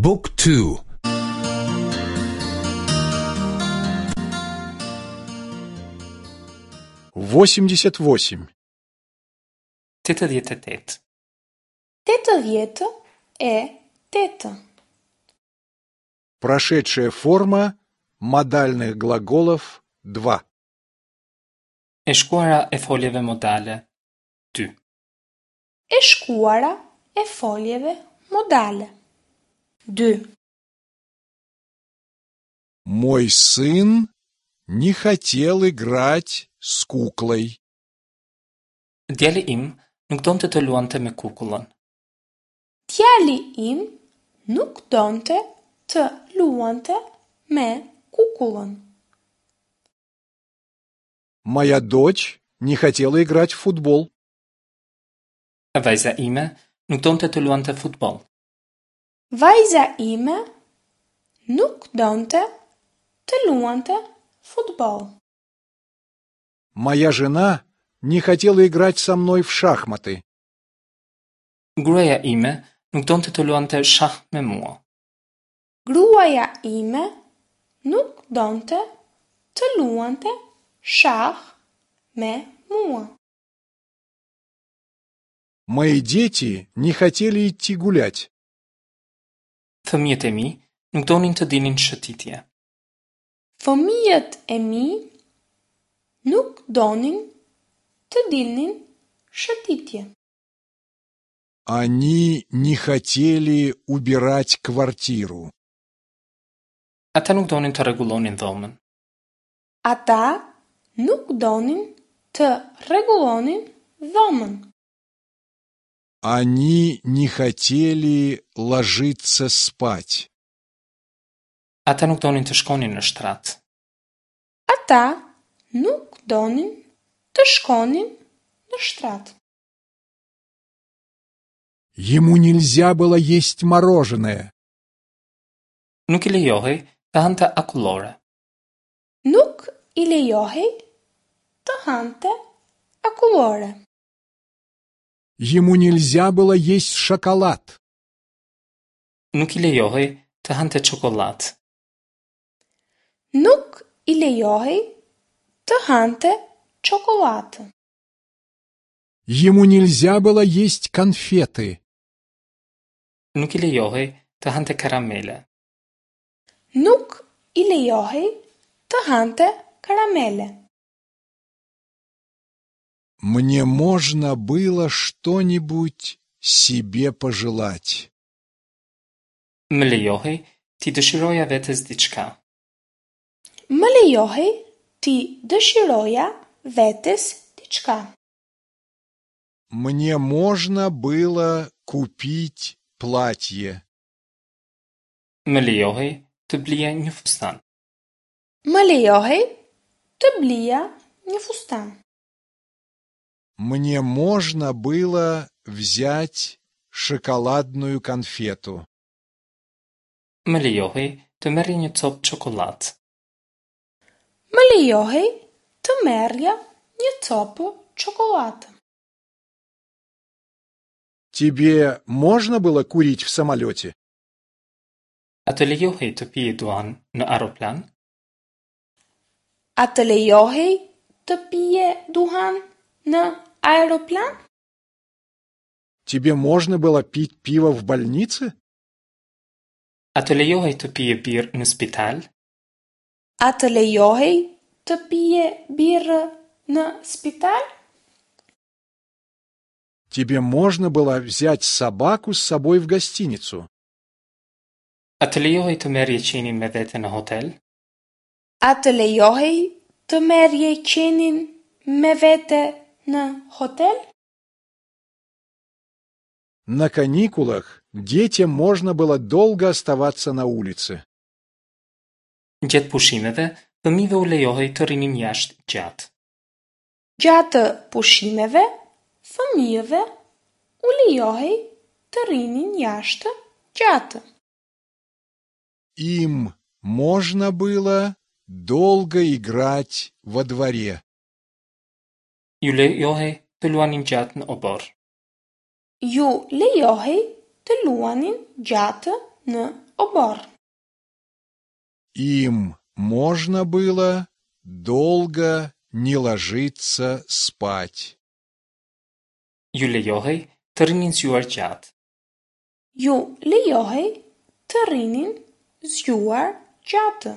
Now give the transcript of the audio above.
บุ๊กทู 88. 88. 88. Прошедшая forma модальных глаголов 2. E shkuara e foljeve modale 2. E shkuara e foljeve modale. 2. Мой сын не хотел играть с куклой. Djali im nuk donte të luante me kukullën. Djali im nuk donte të luante me kukullën. Моя дочь не хотела играть в футбол. Vajza ime nuk donte të luante futboll. Vajza ime nuk donte të luante futboll. Моя жена не хотела играть со мной в шахматы. Gruaja ime nuk donte të luante shah me mua. Gruaja ime nuk donte të luante shah me mua. Мои дети не хотели идти гулять. Fëmijët e mi nuk donin të dilnin shëtitje. Fëmijët e mi nuk donin të dilnin shëtitje. Они не хотели убирать квартиру. Ata nuk donin të rregullonin dhomën. Ata nuk donin të rregullonin dhomën. Они не хотели ложиться спать. Ata nuk donin të shkonin në shtrat. Ata nuk donin të shkonin në shtrat. Ему нельзя было есть мороженое. Nuk i lejohej të hante akullore. Nuk i lejohej të hante akullore. Ему нельзя было есть шоколад. Nuk i lejohej të hante çokollatë. Nuk i lejohej të hante çokollatë. Ему нельзя было есть конфеты. Nuk i lejohej të hante karamele. Nuk i lejohej të hante karamele. Мне можно было что-нибудь себе пожелать. Më lejohej t'i dëshiroja vetes diçka. Më lejohej t'i dëshiroja vetes diçka. Мне можно было купить платье. Më lejohej të blija një fustan. Më lejohej të blija një fustan. Мне можно было взять шоколадную конфету. Më lejohej të merrja një copë çokollatë. Më lejohej të merrja një copë çokollatë. Тебе можно было курить в самолете? A të lejohej të pije duhan në aeroplan? A të lejohej të pije duhan në aeroplan? Тебе можно было пить пиво в больнице? A të lejohej të pije birrë në spital? A të lejohej të pije birrë në spital? Тебе можно было взять собаку с собой в гостиницу? A të lejohej të merrje qenin me vete në hotel? A të lejohej të merrje qenin me vete në hotel? На каникулах детям можно было долго оставаться на улице. Gjatë pushimeve, fëmijëve u lejohej të rrinin jashtë gjatë. Gjatë pushimeve, fëmijëve u lejohej të rrinin jashtë gjatë. Им можно было долго играть во дворе. Ju lejohej të luanin gjatë në oborr. Ju lejohej të luanin gjatë në oborr. Им можно было долго не ложиться спать. Ju lejohej të rrinin zgjuar gjatë. Ju lejohej të rrinin zgjuar gjatë.